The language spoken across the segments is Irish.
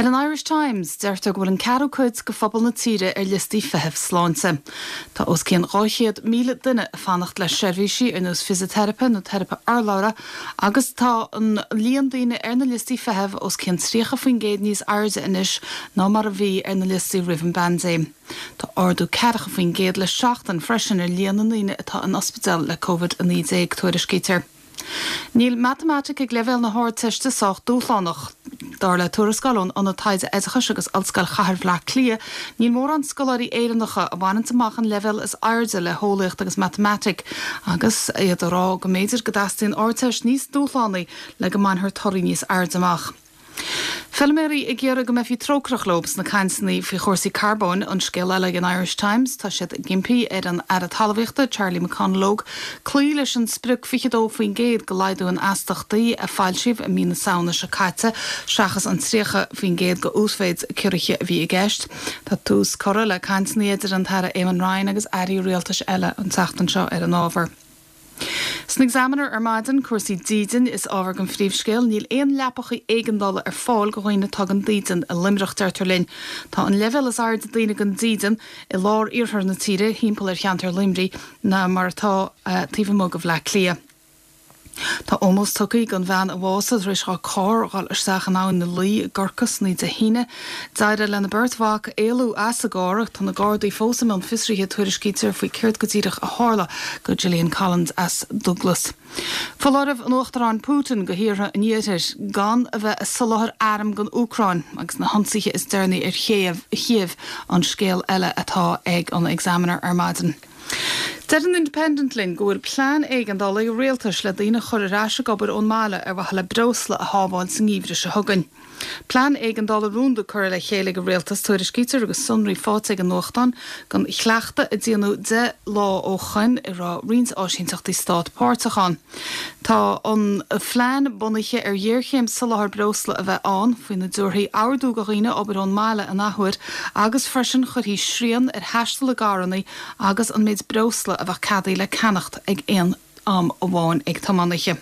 Ar an Irish Times, deirtear go bhfuil an ceathrú cuid de phobal na tíre ar liostaí feithimh sláinte. Tá os cionn 200,000 duine ag fanacht le seirbhísí ar nós fisiteiripe nó teiripe urlabhra agus tá an líon daoine ar na liostaí feithimh os cionn 30% níos airde anois ná mar a bhí ar na liostaí roimh an bpaindéim. Tá ardú 40% le seachtain freisin ar líon na ndaoine atá in ospidéal le Covid-19, tuairiscítear. Níl matamaitic ag leibhéal na hArdteiste sách dúshlánach. Dar le tuarascáil ón Ionad Taighde Oideachais agus Ollscoil Chathair Bhaile Átha Cliath, níl mórán scoláirí Éireannacha a bhaineanns amach an leibhéal is airde le heolaíocht agus matamaitic agus iad ag rá go mb'fhéidir go dteastaíonn Ardteist níos dúshlánaí le go mbainfear torthaí níos airde amach. Feilméaraí ag iarraidh go mbeifí trócaireach leo sna cainteanna faoi chúrsaí carbóin, an scéal eile ag an Irish Times. Tá siad ag impí ar an Aire Talmhaíochta, Charlie McConalogue, cloí leis an sprioc 22% de laghdú in astachtaí a foilsíodh i mí na Samhna seo caite, seachas an 30% de uasmhéid ciorruithe a bhí i gceist. Tá tús curtha le cainteanna idir an tAire Eamon Ryan agus airí rialtais eile an tseachtain seo ar an ábhar. San Examiner ar maidin, cúrsaí dídine is ábhar don phríomhscéal. Níl aon leapacha éigeandála ar fáil do dhaoine atá gan dídean i Luimneach, deirtear linn. Tá an leibhéal is airde daoine gan dídean i lár iarthar na tíre, thimpeall ar cheantar Luimnigh, ná mar atá taobh amuigh de Bhleá Cliath. Tá ómós tugtha don bhean a bhásaigh tar éis dá carr dhul isteach in Abhainn na Laoi i gCorca san oíche Dé hAoine. D'éirigh lena beirt mhac éalú as an gcarr ach tá na Gardaí fós i mbun fiosraithe, tuairiscítear, faoi céard go díreach a tharla go Gillian Collins as Dúglas. Foláireamh an Uachtaráin Putin go thíortha an Iarthair gan a bheith ag soláthar arm don Úcráin agus na hionsaithe is deireanaí ar Chív an scéal eile atá ag an Examiner ar maidin. Deir an Independent linn go bhfuil plean éigeandála ag an rialtas le daoine a chur ar ais ag obair ón mbaile ar mhaithe le breosla a shábháil sa ngeimhreadh seo chugainn. Plean éigeandála rúnda curtha le chéile ag an rialtas, tuairiscítear, agus sonraí faighte ag an nuachtán den chleachtadh a déanadh 10 lá ó shoin a raibh roinnt áisínteachtaí stát páirteach ann. Tá an phlean bunaithe ar ghéarchéim soláthair breosla a bheith ann, faoina dtabharfaí ordú do dhaoine obair ón mbaile an athuair agus freisin chuirfí srian ar thaisteal i gcarranna agus an méid breosla a bheadh ceadaithe le ceannacht ag aon am amháin ag tiománaithe.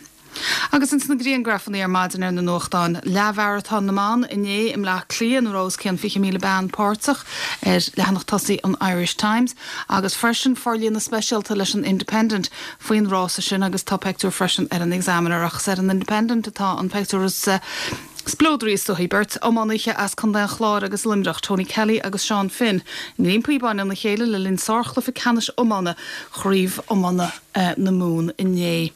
Agus ins na griangrafannaí ar maidin ar na nuachtáin, leathmharatón na mban inné i mBleá Cliath ina raibh os cionn 20,000 bean páirteach, ar leathanach tosaigh an Irish Times, agus freisin forlíonadh speisialta leis an Independent faoin rása sin agus tá peictiúr freisin ar an Examiner ach is ar an Independent atá an peictiúr is spleodraí is dóichí. Beirt iománaithe as Contae an Chláir agus Luimneach, Tony Kelly agus Seán Finn, i nGleann Píobáin lena chéile le linn sárchluiche ceannais iomána Chraobh Iomána na Mumhan inné.